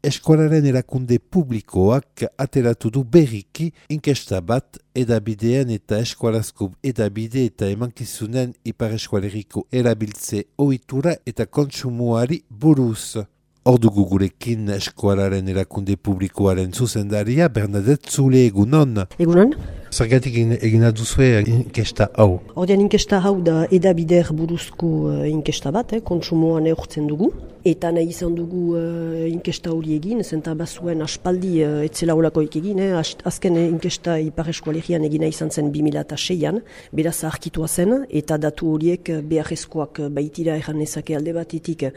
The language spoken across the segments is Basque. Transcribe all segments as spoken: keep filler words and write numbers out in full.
eskolaren erakunde publikoak ateratu du berriki inkesta bat edabidean eta eskolazko edabide eta emankizunen ipar eskualeriko erabiltze ohitura eta kontsumoari buruz. Ordugu gurekin eskolaren erakunde publikoaren zuzendaria Bernadette Zule, egunon. Egunon. Zergatik egina duzue inkesta hau? Ordean inkesta hau da edabider buruzko uh, inkesta bat, eh, kontsumoan eurtzen dugu. Eta nahi izan dugu uh, inkesta hori egin, zenta bazuen aspaldi uh, etzela olakoik egin, eh, azken inkesta ipar eskualerian egina izan zen bi mila seian, beraz arkitua zen, eta datu horiek beharrezkoak baitira erran ezake alde batetik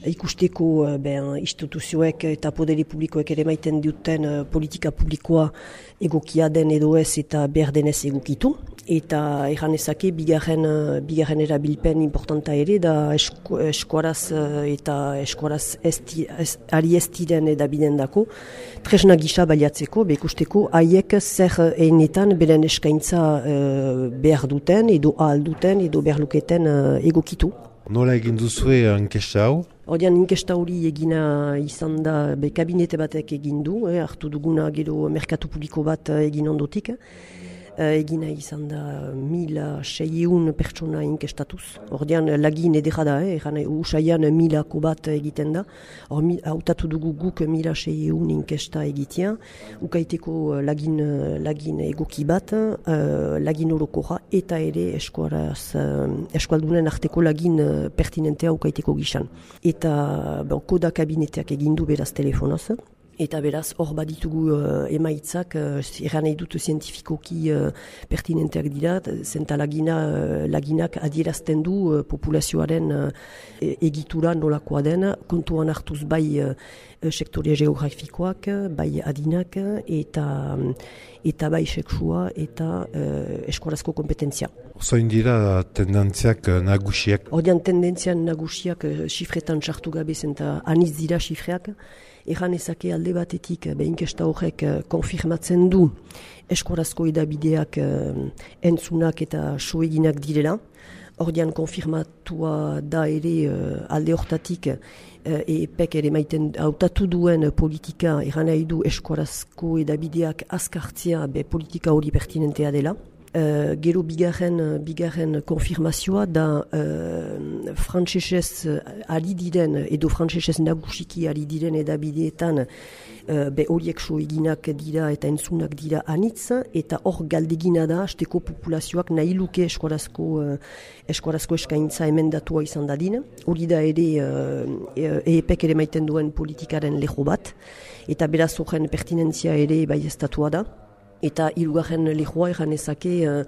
ikusteko uh, ben, instituzioek eta poderi publikoek ere maiten duten uh, politika publikoa egokia den edo ez eta behar denez egokitu. Eta erran ezake bigarren, uh, bigarren erabilpen importanta ere da esku, eskuaraz uh, eta eskuaraz esti, ez, ari ez diren edabiden dako, tresna gisa baliatzeko, bekusteko haiek zer enetan beren eskaintza uh, behar duten edo ahal duten edo behar luketen uh, egokitu. Nola egin duzue inkesta hau? Ordean inkesta hori egina izan da be kabinete batek egin du, eh, hartu duguna gero merkatu publiko bat egin ondotik. Uh, egina izan da mila seieun pertsona inkestatuz. Ordean lagin edera da, eh, eran usaian milako bat egiten da. Hor hautatu dugu guk mila seieun inkesta egitea. Ukaiteko lagin, lagin egoki bat, uh, lagin orokoja eta ere eskuaraz, uh, eskualdunen arteko lagin uh, pertinentea ukaiteko gisan. Eta bon, koda kabineteak egin du beraz telefonoz. Eta beraz, hor baditugu uh, emaitzak, uh, erran nahi dut zientifikoki uh, pertinenteak dira, zenta lagina, uh, laginak adierazten du uh, populazioaren uh, egitura nolakoa den, kontuan hartuz bai uh, sektoria geografikoak, bai adinak, eta, eta bai seksua eta uh, eskolazko kompetentzia. Zoin dira tendentziak nagusiak? Ordean tendentziak nagusiak xifretan sartu gabe zenta aniz dira xifreak. Erran ezake alde batetik behinkesta horrek konfirmatzen du eskolazko edabideak entzunak eta soeginak direla. Ordean konfirmatua da ere alde hortatik E P E K ere maiten hautatu duen politika erran nahi du eskolazko edabideak azkartzea be politika hori pertinentea dela. Uh, gero bigarren, bigarren konfirmazioa da uh, frantsesez ari diren edo frantsesez nagusiki ari diren edabideetan uh, be horiek so eginak dira eta entzunak dira anitz eta hor galdegina da hasteko populazioak nahi luke eskolazko, uh, eskolazko eskaintza emendatua izan dadin. Hori da ere uh, E P E K ere maiten duen politikaren leho bat eta beraz horren pertinentzia ere bai estatua da. Eta hirugarren lehoa erran ezake uh,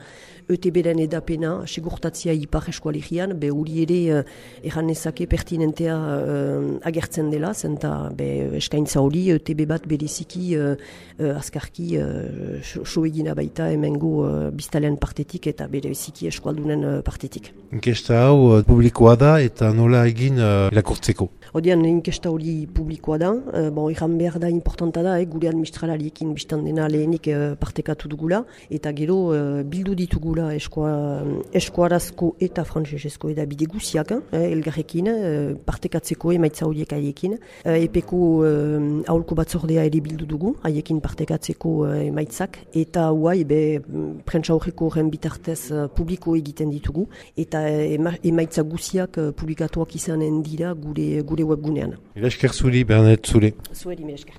E T B-ren edapena segurtatzia ipar eskualerian, be hori ere uh, erran ezake pertinentea uh, agertzen dela, zenta be eskaintza hori E T B bat bereziki uh, uh, azkarki uh, soegina baita hemengo uh, biztalean partetik eta bereziki eskualdunen uh, partetik. Inkesta hau uh, publikoa da eta nola egin uh, irakurtzeko? Odean inkesta hori publikoa da, uh, bon, erran behar da importanta da, eh, gure administralariekin biztan dena lehenik uh, partekatu dugula, eta gero uh, bildu ditugula eskoa, eskuarazko eta frantsesezko edabide guziak, eh, elgarrekin, uh, partekatzeko emaitza horiek haiekin. Uh, Epeko uh, aholko batzordea ere bildu dugu, haiekin partekatzeko uh, emaitzak, eta huai be prentsa horreko horren bitartez uh, publiko egiten ditugu, eta uh, emaitza guziak uh, publikatuak izanen dira gure, gure webgunean. Esker zuri, Bernadette Zule. Zueri, me esker.